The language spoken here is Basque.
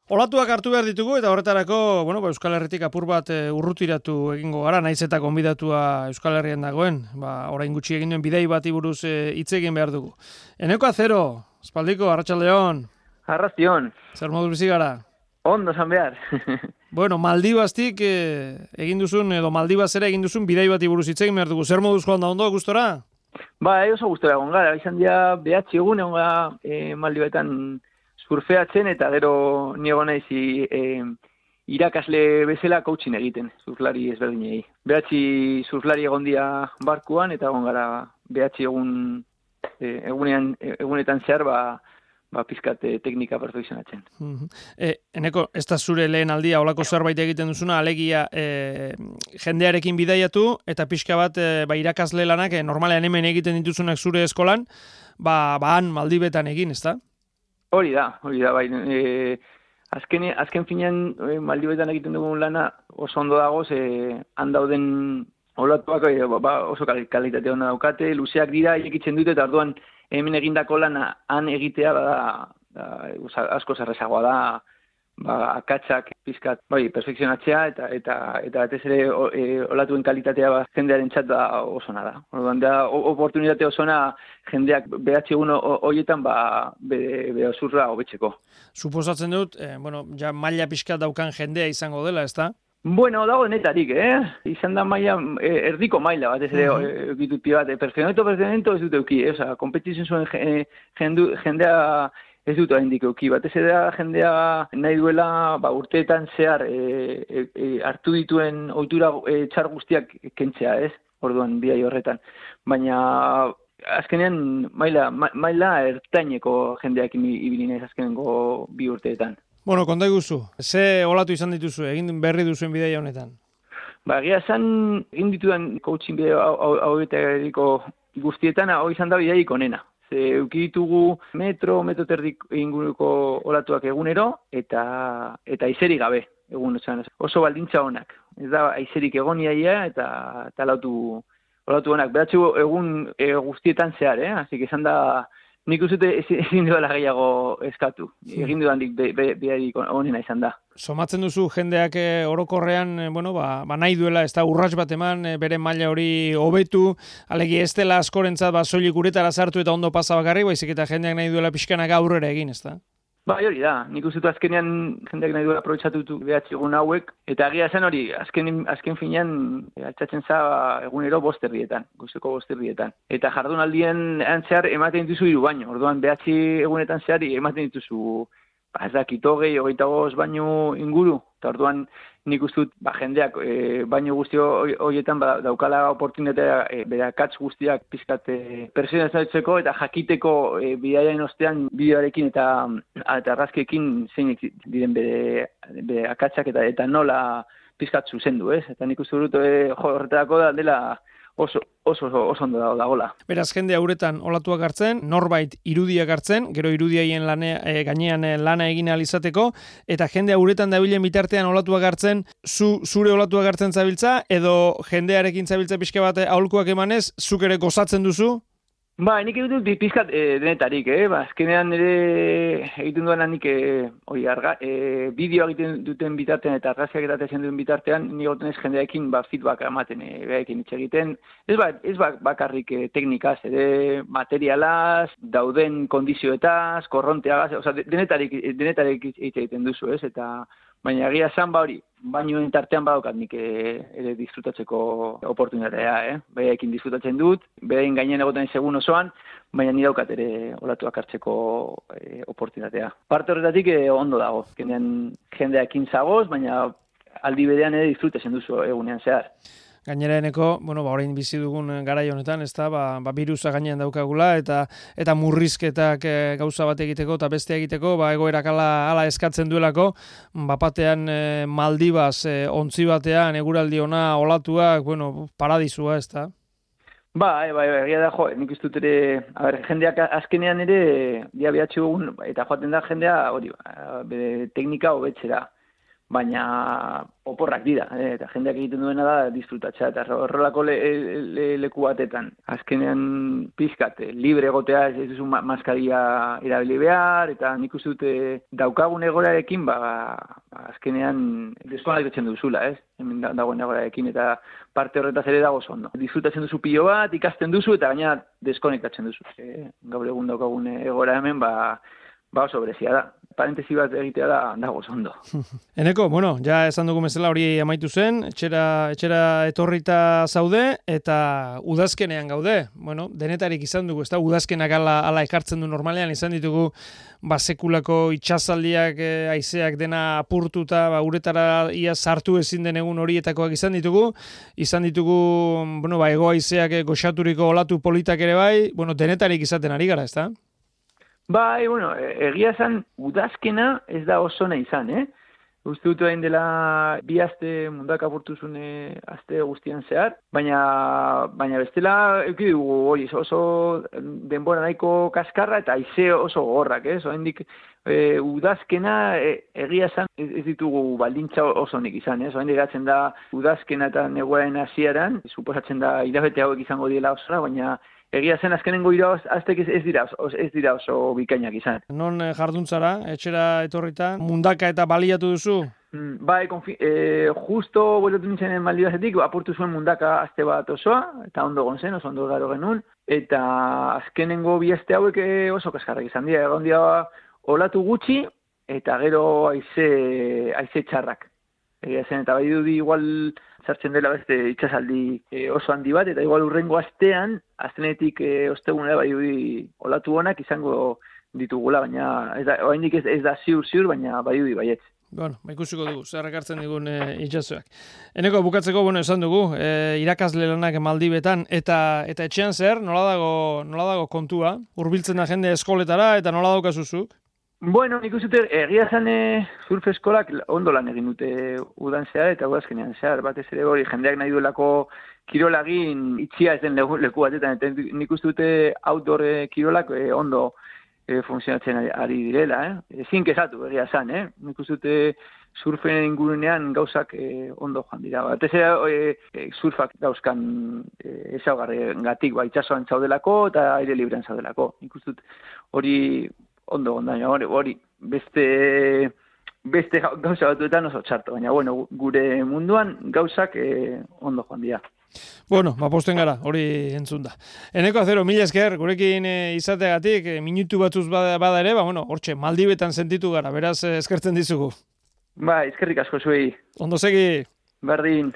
Olatuak hartu behar ditugu eta horretarako, Euskal Herritik apur bat urrutiratu egingo gara, naiz eta gonbidatua Euskal Herrian dagoen, orain gutxi egin duen bidei bati buruz hitz egin behar dugu. Eneko Azero, espaldiko, arratsaldeon. Arratsaldeon. Zer moduz bizi gara? Ondo esan behar. Maldibaztik egin duzun, edo Maldibazera egin duzun bidei bati buruz hitz egin behar dugu. Zer moduz joan da ondo, gustora? Oso gustora egon gara, izan dira behatzi egun egon gara Maldibetan surfeatzen eta gero ni egon naiz irakasle bezala coaching egiten, surflari ezberdinei. Behatzi surflari egon dira barkuan eta egon gara behatzi egunetan zehar pizkat teknika perfekzionatzen. Eneko, ez da zure lehen aldia olako zerbait egiten duzuna, alegia jendearekin bidaiatu eta pixka bat irakasle lanak normalean hemen egiten dituzunak zure eskolan, han Maldibetan egin, ez da? Hori da, bai. Azken finean Maldibetan egiten dugun lana oso ondo dagoz, han dauden olatuak oso kalitate ona daukate, luzeak dira, irekitzen dute, eta orduan hemen egindako lana han egitea asko zerrezagoa da, akatsak pizkat, perfekzionatzea eta batez ere olatuen kalitatea jendearen txat oso ona da. Orduan da oportunitate osona jendeak behatzi egun horietan bere zurra hobetzeko. Suposatzen dut, ja maila pizkat daukan jendea izango dela, ezta? Dago denetarik, izan da maila, erdiko maila, batez ere egitut pia bat, perfekzionamento ez dut euki, kompetizioen zuen jendea ez dut haindik euki, batez ere jendea nahi duela urteetan zehar hartu dituen ohitura txar guztiak kentzea, ez? Orduan bidai horretan. Baina azkenean maila ertaineko jendeak ibili naiz azkenengo 2 urteetan. Konta iguzu, ze olatu izan dituzu, egin berri duzuen bidaia honetan? Egia esan, egin ditudan coaching bideo hauetariko guztietan, hau izan da bidaik onena. Euki ditugu metro terdik inguruko olatuak egunero, eta aizerik gabe, egun oso baldintza honak. Ez da aizerik egoniaia eta olatu honak. Beratxu egun guztietan zehar, Así que izan da, nik uzute ezin duela gehiago eskatu. Egin dudandik bidarik onena izan da. Somatzen duzu jendeak orokorrean, nahi duela, ez da urrats bat eman, bere maila hori hobetu, alegi ez dela askorentzat soilik uretara sartu eta ondo pasa bakarri, baizik eta jendeak nahi duela pixkanak aurrera egin, ez da? Hori da, nik uste azkenean jendeak nahi duela aprobetxatutu behatzi egun hauek, eta agia zen hori, azken finean altxatzen za egunero 5 herrietan, goizeko 5 herrietan. Eta jardunaldien zehar ematen dituzu 3 baino, orduan behatzi egunetan zehar ematen dituzu, ez da, 25 baino inguru, eta orduan nik uste dut jendeak baino guzti horietan daukala oportunitatea bere akats guztiak pizkat pertsonalizatzeko eta jakiteko bidaiaren ostean bideoarekin eta argazkiekin zeinek diren bere akatsak eta nola pizkat zuzendu, ez? Eta nik uste dut horretarako dela oso ondo dagoela. Beraz, jende hauretan olatuak hartzen, norbait irudiak hartzen, gero irudiaien gainean lana egin ahal izateko, eta jende hauretan dabilen bitartean olatuak hartzen, zure olatuak hartzen zabiltza, edo jendearekin zabiltza pixka bat aholkuak emanez, zuk ere gozatzen duzu? Nik egiten dut pizkat denetarik, azkenean ere egiten duan nik bideo egiten duten bitartean eta argazkiak egiten duten bitartean, nik goten ez jendearekin feedback ematen behaekin hitz egiten. Ez bakarrik teknikaz, ere materialaz, dauden kondizioetaz, korronteagaz, denetarik hitz egiten duzu, ez? Baina egia esan hori, bainoen tartean badaukat nik ere disfrutatzeko oportunitatea, Behaekin disfrutatzen dut, behaien gainean egoten segun osoan, baina ni daukat ere olatuak hartzeko oportunitatea. Parte horretatik ondo dago, jendeakin zagoz, baina aldi berean ere disfrutatzen duzu egunean zehar. Gainera eneko, orain bizi dugun garai honetan, ez da, birusa gainean daukagula, eta murrizketak gauza bat egiteko eta beste egiteko, egoerak ala eskatzen duelako, batean Maldibaz, ontzi batean, eguraldi ona, olatuak, paradisua, ez da? Egia da, nik uste dut ere, jendeak azkenean ere, behatzi egun, eta joaten da jendea, bere teknika hobetzera. baina oporrak dira, eta jendeak egiten duena da disfrutatzea, eta horrelako leku batetan. Azkenean pizkat, libre egotea ez duzu maskaria erabili behar, eta nik uste dute daukagun egorarekin, azkenean deskonektatzen duzula, ez? Hemen dagoen egorarekin, eta parte horretaz ere dago ondo. Disfrutatzen duzu pilo bat, ikasten duzu, eta gaina deskonektatzen duzu. Gaur egun daukagun egora hemen, oso berezia da. Parentesi bat egitea dago ondo. Eneko, ja esan dugu bezala hori amaitu zen, etxera etorrita zaude, eta udazkenean gaude. Denetarik izan dugu, ez da, udazkenak ala ekartzen du normalean, izan ditugu sekulako itxasaldiak, haizeak dena apurtuta, uretara ia sartu ezin den egun horietakoak izan ditugu, hego haizeak goxaturiko olatu politak ere bai, denetarik izaten ari gara, ez da? Bai, egia esan, udazkena ez da oso nahi izan, Uste dut egin dela 2 aste mundak apurtuzun aste guztian zehar, baina bestela euki dugu oso denbora nahiko kaskarra eta haize oso gogorrak, Oraindik udazkena egia esan ez ditugu baldintza oso nik izan, Oraindik gatzen da udazkena eta neguaren hasieran, suposatzen da hilabete hauek izango diela osora, baina egia zen azkenengo aztek ez dira oso bikainak izan. Non jarduntzara, etxera etorrita, mundaka eta baliatu duzu? Bai, justo bueltatu nintzen Maldibasetik, apurtu zuen mundaka aste bat osoa, eta ondo gontzen, oso ondo garo genuen, eta azkenengo 2 aste hauek oso kaskarrak izan dira, egon dira olatu gutxi, eta gero haize txarrak. Egia zen, eta bai dudi igual sartzen dela beste itxasaldi oso handi bat, eta igual urrengo astean, aztenetik ostegunera bai dudi olatu honak izango ditugula, baina oraindik ez da ziur, baina bai dudi baietz. Ikusiko dugu, zer ekartzen digun itxasoak. Eneko, bukatzeko, esan dugu, irakasle lanak Maldibetan, eta etxean zer, nola dago kontua? Hurbiltzen da jende eskoletara, eta nola daukazuzuk? Nik uste egia zen surf eskolak ondo lan egin dute udan zehar eta udazkenean zehar. Batez ere hori jendeak nahi duelako kirolagin itxia ez den leku batetan. Eta nik uste dute outdoor kirolak ondo funtzionatzen ari direla. Ezin kezatu egia zen. Nik uste dute surfen ingurunean gauzak ondo joan dira. Batez ere surfak dauzkan ezaugarrengatik itxasoan zaudelako eta aire librean zaudelako. Nik uste dut hori ondo gondaino, hori beste gauza batuetan oso txarto, baina gure munduan gauzak ondo joan dira. Posten gara, hori entzun da. Eneko Azero, mila esker, gurekin izateagatik, minutu batzuz bada ere, hortxe, Maldibetan sentitu gara, beraz eskertzen dizugu. Eskerrik asko zuei. Ondo segi. Berdin.